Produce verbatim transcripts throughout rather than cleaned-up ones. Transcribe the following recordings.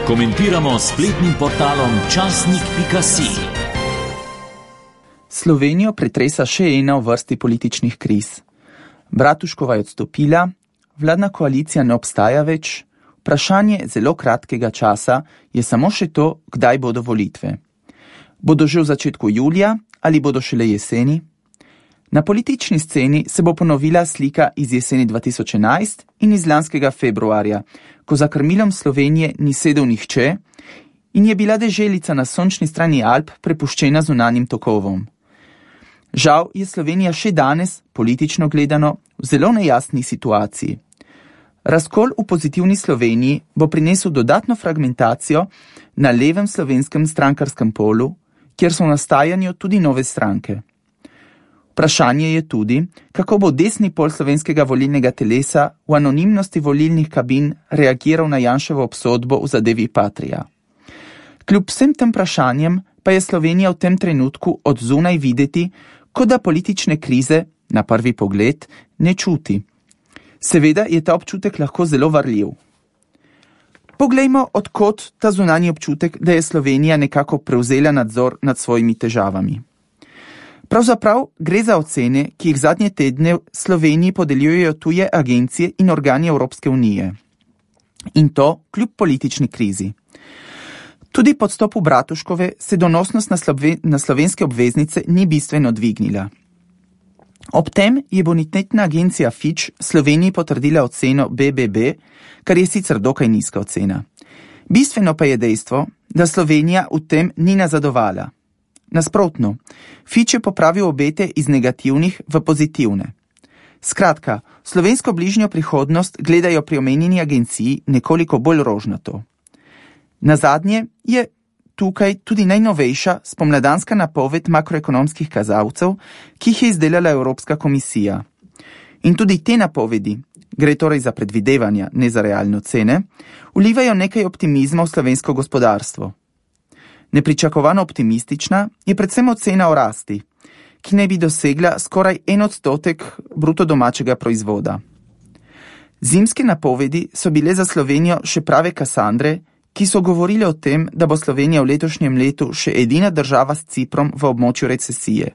Komentiramo s spletnim portalom časnik pika si. Slovenijo pretresa še ena v vrsti političnih kriz. Bratuškova je odstopila, vladna koalicija ne obstaja več, vprašanje zelo kratkega časa je samo še to, kdaj bodo volitve. Bodo že v začetku julija ali bodo šele jeseni? Na politični sceni se bo ponovila slika iz jeseni dva tisoč enajst in iz lanskega februarja, ko za krmilom Slovenije ni sedel nihče in je bila deželica na sončni strani Alp prepuščena zunanjim tokovom. Žal je Slovenija še danes, politično gledano, v zelo nejasni situaciji. Razkol v pozitivni Sloveniji bo prinesel dodatno fragmentacijo na levem slovenskem strankarskem polu, kjer so v nastajanju tudi nove stranke. Vprašanje je tudi, kako bo desni pol slovenskega volilnega telesa v anonimnosti volilnih kabin reagiral na Janševo obsodbo v zadevi Patria. Kljub vsem tem vprašanjem pa je Slovenija v tem trenutku od zunaj videti, kot da politične krize, na prvi pogled, ne čuti. Seveda je ta občutek lahko zelo varljiv. Poglejmo, od kod ta zunanji občutek, da je Slovenija nekako prevzela nadzor nad svojimi težavami. Pravzaprav gre za ocene, ki jih zadnje tedne Sloveniji podeljujejo tuje agencije in organi Evropske unije. In to kljub politični krizi. Tudi po odstopu Bratuškove se donosnost na, slove, na slovenske obveznice ni bistveno dvignila. Ob tem je bonitetna agencija Fitch Sloveniji potrdila oceno B B B, kar je sicer dokaj nizka ocena. Bistveno pa je dejstvo, da Slovenija v tem ni nazadovala. Nasprotno, Fitch je popravil obete iz negativnih v pozitivne. Skratka, slovensko bližnjo prihodnost gledajo pri omenjeni agenciji nekoliko bolj rožnato. Nazadnje je tukaj tudi najnovejša spomladanska napoved makroekonomskih kazalcev, ki jih je izdelala Evropska komisija. In tudi te napovedi, gre torej za predvidevanja, ne za realne ocene, vlivajo nekaj optimizma v slovensko gospodarstvo. Nepričakovano optimistična je predvsem ocena o rasti, ki naj bi dosegla skoraj en odstotek bruto domačega proizvoda. Zimske napovedi so bile za Slovenijo še prave kasandre, ki so govorile o tem, da bo Slovenija v letošnjem letu še edina država s Ciprom v območju recesije.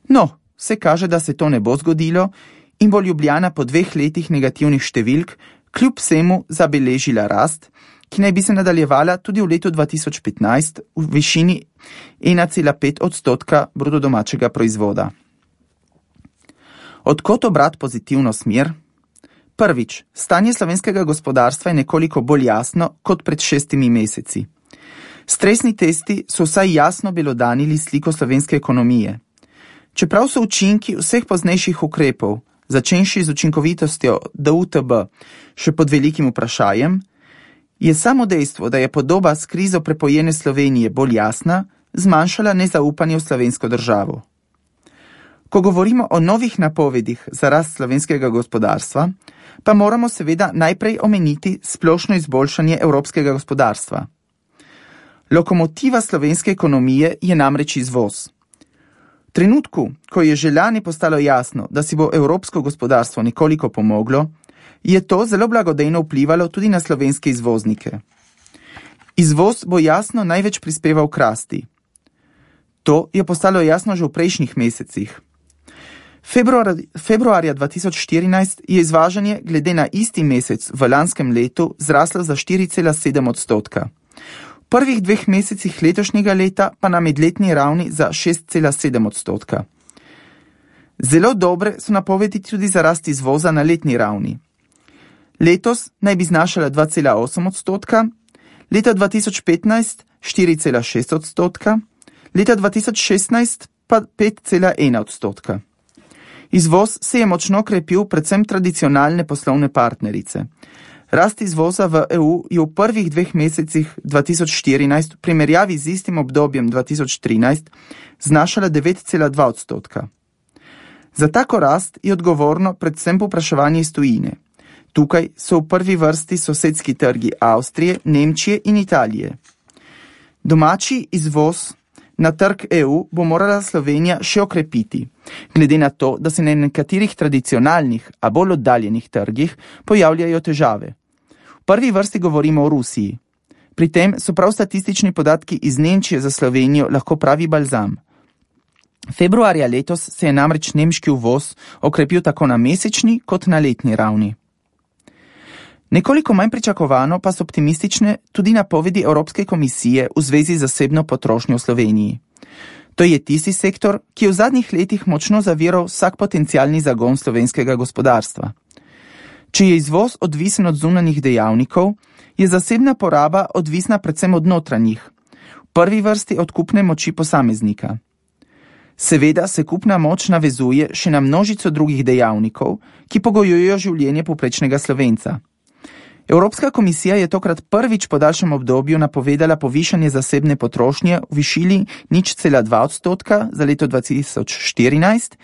No, se kaže, da se to ne bo zgodilo in bo Ljubljana po dveh letih negativnih številk kljub vsemu zabeležila rast, ki naj bi se nadaljevala tudi v letu dva tisoč petnajst v višini ena cela pet odstotka bruto domačega proizvoda. Od kod obrat pozitivno smer? Prvič, stanje slovenskega gospodarstva je nekoliko bolj jasno kot pred šestimi meseci. Stresni testi so vsaj jasno belodanili sliko slovenske ekonomije. Čeprav so učinki vseh poznejših ukrepov, začenši z učinkovitostjo D U T B, še pod velikim vprašajem, je samo dejstvo, da je podoba s krizo prepojene Slovenije bolj jasna, zmanjšala nezaupanje v slovensko državo. Ko govorimo o novih napovedih za rast slovenskega gospodarstva, pa moramo seveda najprej omeniti splošno izboljšanje evropskega gospodarstva. Lokomotiva slovenske ekonomije je namreč izvoz. V trenutku, ko je že lani postalo jasno, da si bo evropsko gospodarstvo nekoliko pomoglo, je to zelo blagodejno vplivalo tudi na slovenske izvoznike. Izvoz bo jasno največ prispeval k rasti. To je postalo jasno že v prejšnjih mesecih. Februar, februarja dva tisoč štirinajst je izvažanje glede na isti mesec v lanskem letu zraslo za štiri cela sedem odstotka. V prvih dveh mesecih letošnjega leta pa na medletni ravni za šest cela sedem odstotka. Zelo dobre so napovedi tudi za rast izvoza na letni ravni. Letos naj bi znašala dva cela osem odstotka, leta dva tisoč petnajst štiri cela šest odstotka, leta dva tisoč šestnajst pa pet cela ena odstotka. Izvoz se je močno krepil predvsem tradicionalne poslovne partnerice. Rast izvoza v E U je v prvih dveh mesecih dva tisoč štirinajst v primerjavi z istim obdobjem dva tisoč trinajst znašala devet cela dva odstotka. Za tako rast je odgovorno predvsem povpraševanje iz tujine. Tukaj so v prvi vrsti sosedski trgi Avstrije, Nemčije in Italije. Domači izvoz na trg E U bo morala Slovenija še okrepiti, glede na to, da se na nekaterih tradicionalnih, a bolj oddaljenih trgih pojavljajo težave. V prvi vrsti govorimo o Rusiji. Pri tem so prav statistični podatki iz Nemčije za Slovenijo lahko pravi balzam. Februarja letos se je namreč nemški uvoz okrepil tako na mesečni kot na letni ravni. Nekoliko manj pričakovano pa so optimistične tudi napovedi Evropske komisije v zvezi z zasebno potrošnjo v Sloveniji. To je tisti sektor, ki je v zadnjih letih močno zaviral vsak potencialni zagon slovenskega gospodarstva. Če je izvoz odvisen od zunanjih dejavnikov, je zasebna poraba odvisna predvsem od notranjih, v prvi vrsti od kupne moči posameznika. Seveda se kupna moč navezuje še na množico drugih dejavnikov, ki pogojujejo življenje povprečnega Slovenca. Evropska komisija je tokrat prvič po daljšem obdobju napovedala povišanje zasebne potrošnje v višini nič cela dva odstotka za leto dva tisoč štirinajst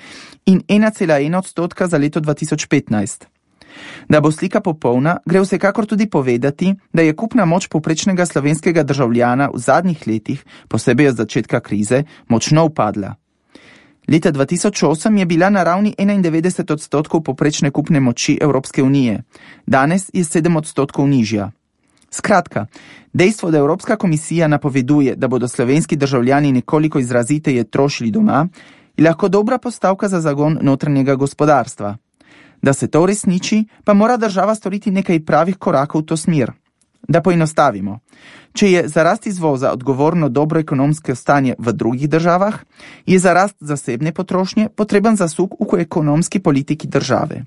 in ena cela ena odstotka za leto dva tisoč petnajst. Da bo slika popolna, gre vsekakor tudi povedati, da je kupna moč povprečnega slovenskega državljana v zadnjih letih, posebej od začetka krize, močno upadla. Leta dva tisoč osem je bila na ravni enaindevetdeset odstotkov povprečne kupne moči Evropske unije, danes je sedem odstotkov nižja. Skratka, dejstvo, da Evropska komisija napoveduje, da bodo slovenski državljani nekoliko izraziteje trošili doma, je lahko dobra postavka za zagon notranjega gospodarstva. Da se to uresniči, pa mora država storiti nekaj pravih korakov v to smer. Da poenostavimo. Če je za rast izvoza odgovorno dobro ekonomsko stanje v drugih državah, je za rast zasebne potrošnje potreben zasuk v ekonomski politiki države.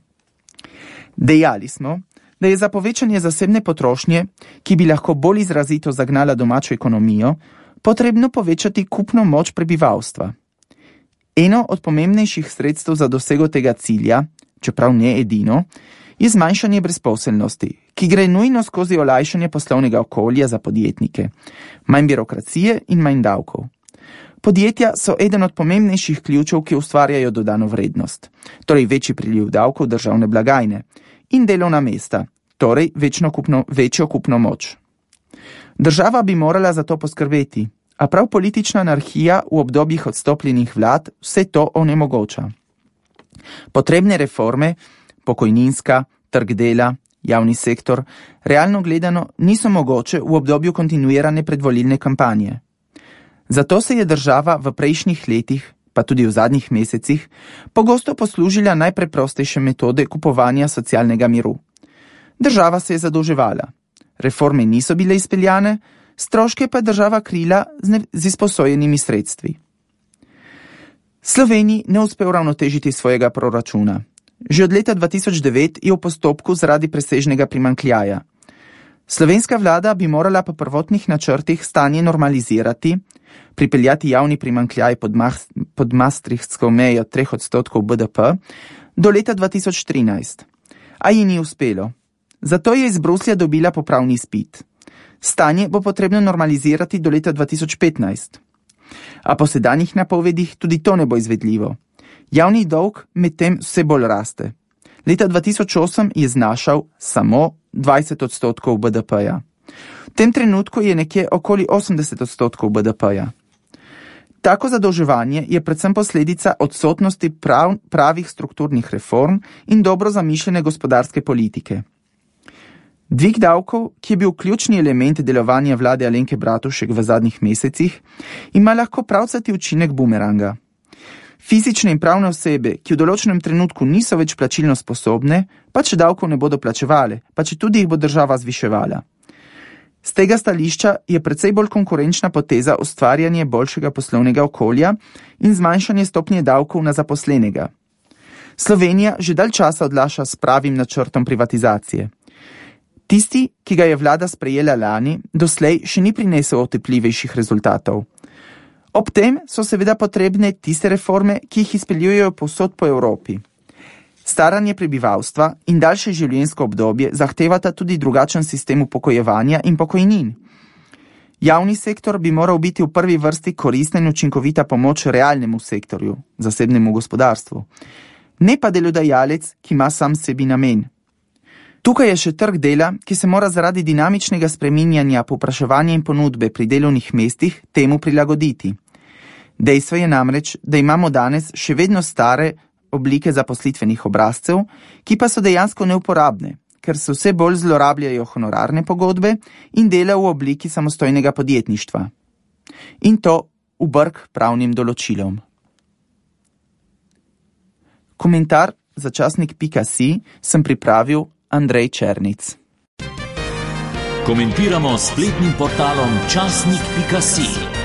Dejali smo, da je za povečanje zasebne potrošnje, ki bi lahko bolj izrazito zagnala domačo ekonomijo, potrebno povečati kupno moč prebivalstva. Eno od pomembnejših sredstev za dosego tega cilja, čeprav ne edino, je zmanjšanje brezposelnosti, ki gre nujno skozi olajšanje poslovnega okolja za podjetnike, manj birokracije in manj davkov. Podjetja so eden od pomembnejših ključev, ki ustvarjajo dodano vrednost, torej večji priliv davkov državne blagajne in delovna mesta, torej večno kupno, večjo kupno moč. Država bi morala za to poskrbeti, a prav politična anarhija v obdobjih odstopljenih vlad vse to onemogoča. Potrebne reforme, pokojninska, trg dela, javni sektor, realno gledano niso mogoče v obdobju kontinuirane predvolilne kampanje. Zato se je država v prejšnjih letih, pa tudi v zadnjih mesecih, pogosto poslužila najpreprostejše metode kupovanja socialnega miru. Država se je zadolževala, reforme niso bile izpeljane, stroške pa je država krila z, ne, z izposojenimi sredstvi. Sloveniji ne uspe uravnotežiti svojega proračuna. Že od leta dva tisoč devet je v postopku zaradi presežnega primanjkljaja. Slovenska vlada bi morala po prvotnih načrtih stanje normalizirati, pripeljati javni primanjkljaj pod, pod maastrichtsko mejo treh odstotkov B D P do leta dva tisoč trinajst. A ji ni uspelo. Zato je iz Bruslja dobila popravni izpit. Stanje bo potrebno normalizirati do leta dva tisoč petnajst. A po sedanjih napovedih tudi to ne bo izvedljivo. Javni dolg medtem vse bolj raste. Leta dva tisoč osem je znašal samo dvajset odstotkov B D P-ja. V tem trenutku je nekje okoli osemdeset odstotkov B D P-ja. Tako zadolževanje je predvsem posledica odsotnosti prav, pravih strukturnih reform in dobro zamišljene gospodarske politike. Dvig davkov, ki je bil ključni element delovanja vlade Alenke Bratušek v zadnjih mesecih, ima lahko pravcati učinek bumeranga. Fizične in pravne osebe, ki v določenem trenutku niso več plačilno sposobne, pa če davkov ne bodo plačevale, pa če tudi jih bo država zviševala. Z tega stališča je precej bolj konkurenčna poteza ustvarjanje boljšega poslovnega okolja in zmanjšanje stopnje davkov na zaposlenega. Slovenija že dalj časa odlaša s pravim načrtom privatizacije. Tisti, ki ga je vlada sprejela lani, doslej še ni prinesel otepljivejših rezultatov. Ob tem so seveda potrebne tiste reforme, ki jih izpeljujejo povsod po Evropi. Staranje prebivalstva in daljše življenjsko obdobje zahtevata tudi drugačen sistem upokojevanja in pokojnin. Javni sektor bi moral biti v prvi vrsti koristna in učinkovita pomoč realnemu sektorju, zasebnemu gospodarstvu, ne pa delodajalec, ki ima sam sebi namen. Tukaj je še trg dela, ki se mora zaradi dinamičnega spreminjanja povpraševanja in ponudbe pri delovnih mestih temu prilagoditi. Dejstvo je namreč, da imamo danes še vedno stare oblike zaposlitvenih obrazcev, ki pa so dejansko neuporabne, ker se vse bolj zlorabljajo honorarne pogodbe in dela v obliki samostojnega podjetništva. In to v brk pravnim določilom. Komentar za časnik pika si sem pripravil Andrej Černic. Komentiramo s spletnim portalom časnik pika si.